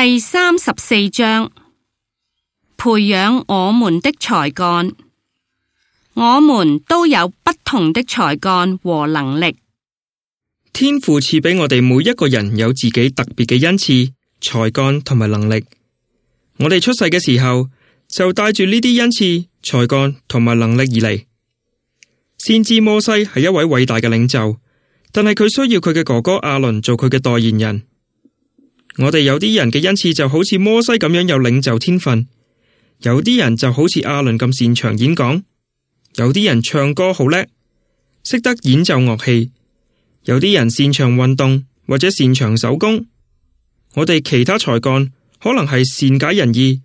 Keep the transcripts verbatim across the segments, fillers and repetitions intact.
第三十四章，培養我們的才幹。我們都有不同的才幹和能力。天父賜俾我哋每一個人有自己特別嘅恩賜、才幹同埋能力。我哋出世嘅時候就帶住呢啲恩賜、才幹同埋能力而嚟。先知摩西係一位偉大嘅領袖，但係佢需要佢嘅哥哥亞倫做佢嘅代言人。我哋有啲人嘅恩賜就好似摩西咁樣有領袖天分，有啲人就好似亞倫咁擅長演講，有啲人唱歌好叻，識得演奏樂器，有啲人擅長運動或者擅長手工。我哋其他才幹可能係善解人意、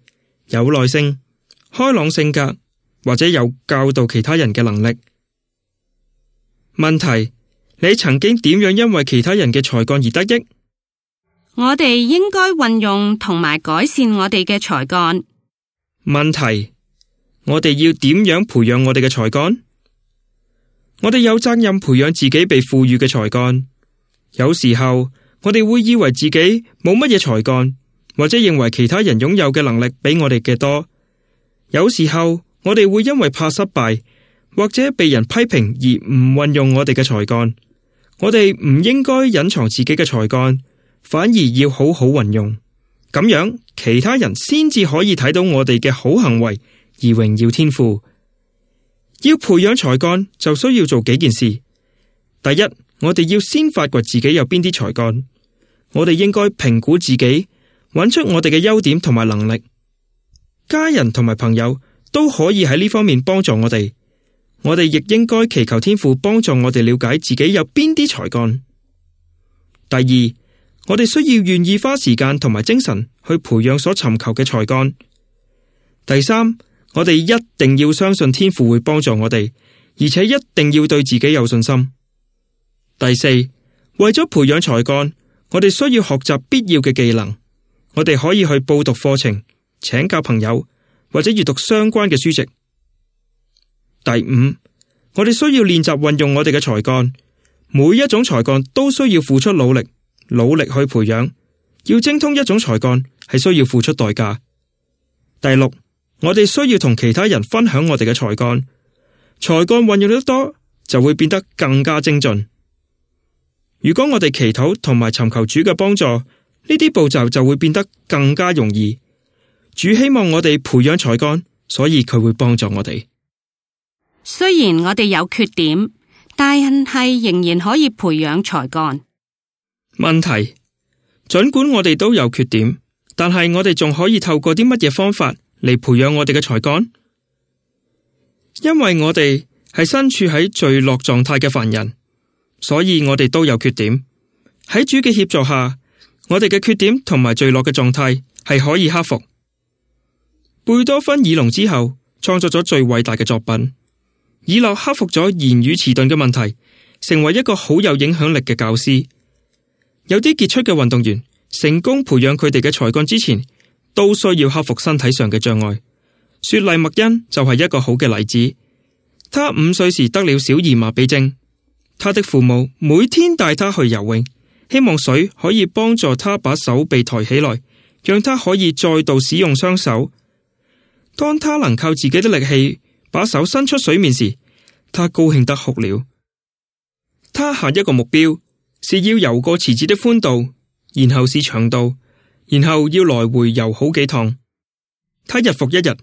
有耐性、開朗性格，或者有教導其他人嘅能力。問題，你曾經點樣因為其他人嘅才幹而得益？我哋應該運用同埋改善我哋嘅才幹。問題，我哋要點樣培養我哋嘅才幹？我哋有責任培養自己被賦予嘅才幹。有時候我哋會以為自己冇乜嘢才幹，或者認為其他人擁有嘅能力比我哋嘅多。有時候我哋會因為怕失敗或者被人批評而唔運用我哋嘅才幹。我哋唔應該隱藏自己嘅才幹，反而要好好運用。咁樣其他人先至可以睇到我哋嘅好行為而榮耀天父。要培養才幹就需要做幾件事。第一，我哋要先發掘自己有邊啲才幹。我哋應該評估自己，揾出我哋嘅優點同埋能力。家人同埋朋友都可以喺呢方面幫助我哋。我哋亦應該祈求天父幫助我哋了解自己有邊啲才幹。第二，我哋需要願意花時間同埋精神去培養所尋求嘅才幹。第三，我哋一定要相信天父會幫助我哋，而且一定要對自己有信心。第四，為咗培養才幹，我哋需要學習必要嘅技能。我哋可以去報讀課程、請教朋友，或者閱讀相關嘅書籍。第五，我哋需要練習運用我哋嘅才幹。每一種才幹都需要付出努力，努力去培養。要精通一種才幹係需要付出代價。第六，我哋需要同其他人分享我哋嘅才幹。才幹運用得多，就會變得更加精進。如果我哋祈禱同埋尋求主嘅幫助，呢啲步驟就會變得更加容易。主希望我哋培養才幹，所以佢會幫助我哋。雖然我哋有缺點，但係仍然可以培養才幹。問題，儘管我哋都有缺點，但係我哋仲可以透過啲乜嘢方法嚟培養我哋嘅才幹？因為我哋係身處喺罪惡狀態嘅犯人，所以我哋都有缺點。喺主嘅協助下，我哋嘅缺點同埋罪惡嘅狀態係可以克服。貝多芬耳聾之後，創作咗最偉大嘅作品。以諾克服咗言語遲鈍嘅問題，成為一個好有影響力嘅教師。有啲傑出嘅運動員成功培養佢哋嘅才幹之前，都需要克服身體上嘅障礙。雪莉麥恩就係一個好嘅例子。他五歲時得了小兒麻痹症，他的父母每天帶他去游泳，希望水可以幫助他把手臂抬起來，讓他可以再度使用雙手。當他能靠自己的力氣把手伸出水面時，他高興得哭了。他下一個目標是要游過池子的寬度，然後是長度，然後要來回游好幾趟。他日復一日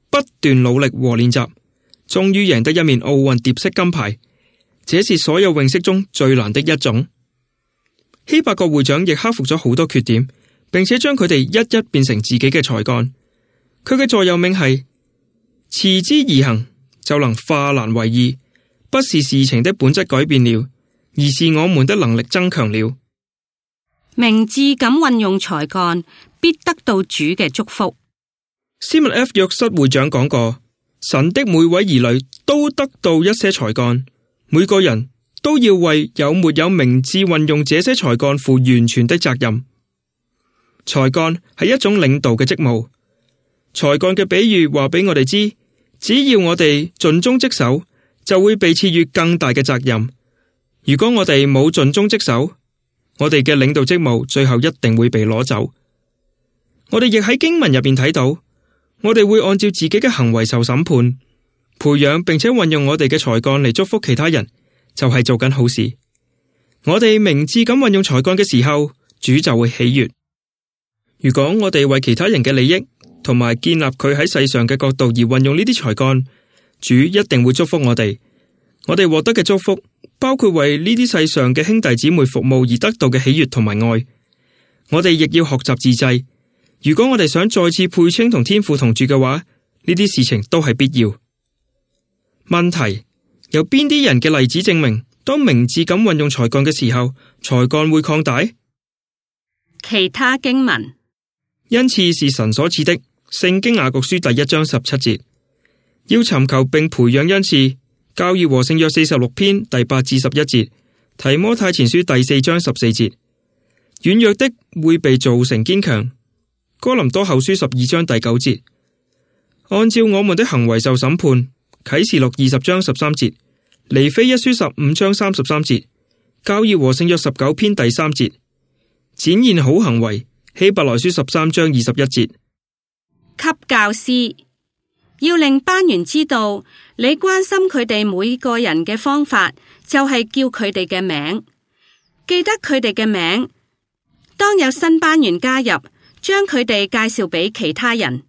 不斷努力和練習，終於贏得一面奧運蝶式金牌。這是所有泳式中最難的一種。希伯國會長亦克服咗好多缺點，並且將佢哋一一變成自己嘅才幹。佢嘅座右銘係：持之以恆，就能化難為易。不是事情的本質改變了，而是我們的能力增強了。明智咁運用才幹，必得到主嘅祝福。斯密 F 約瑟會長講過，神的每位兒女都得到一些才幹，每個人都要為有沒有明智運用這些才幹負完全的責任。才幹係一種領導嘅職務。才幹嘅比喻話俾我哋知，只要我哋盡忠職守，就會被賜予更大嘅責任。如果我哋冇盡忠職守，我哋嘅領導職務最後一定會被攞走。我哋亦喺經文入邊睇到，我哋會按照自己嘅行為受審判。培養並且運用我哋嘅才幹嚟祝福其他人，就係做緊好事。我哋明智咁運用才幹嘅時候，主就會喜悅。如果我哋為其他人嘅利益同埋建立佢喺世上嘅角度而運用呢啲才幹，主一定會祝福我哋。我哋獲得嘅祝福包括為呢啲世上嘅兄弟姊妹服務而得到嘅喜悅同埋愛。我哋亦要學習自制。如果我哋想再次配稱同天父同住嘅話，呢啲事情都係必要。問題，有邊啲人嘅例子證明，當明智咁運用才幹嘅時候，才幹會擴大？其他經文，恩賜是神所賜的，聖經雅各書第一章十七節，要尋求並培養恩賜，教義和聖約四十六篇第八至十一節，提摩太前書第四章十四節，軟弱的會被造成堅強，哥林多後書十二章第九節，按照我們的行為受審判，啟示錄二十章十三節，尼非一書十五章三十三節，教義和聖約十九篇第三節，展現好行為，希伯來書十三章二十一節。給教師，要令班員知道你關心佢哋每個人嘅方法，就係叫佢哋嘅名，記得佢哋嘅名。當有新班員加入，將佢哋介紹俾其他人。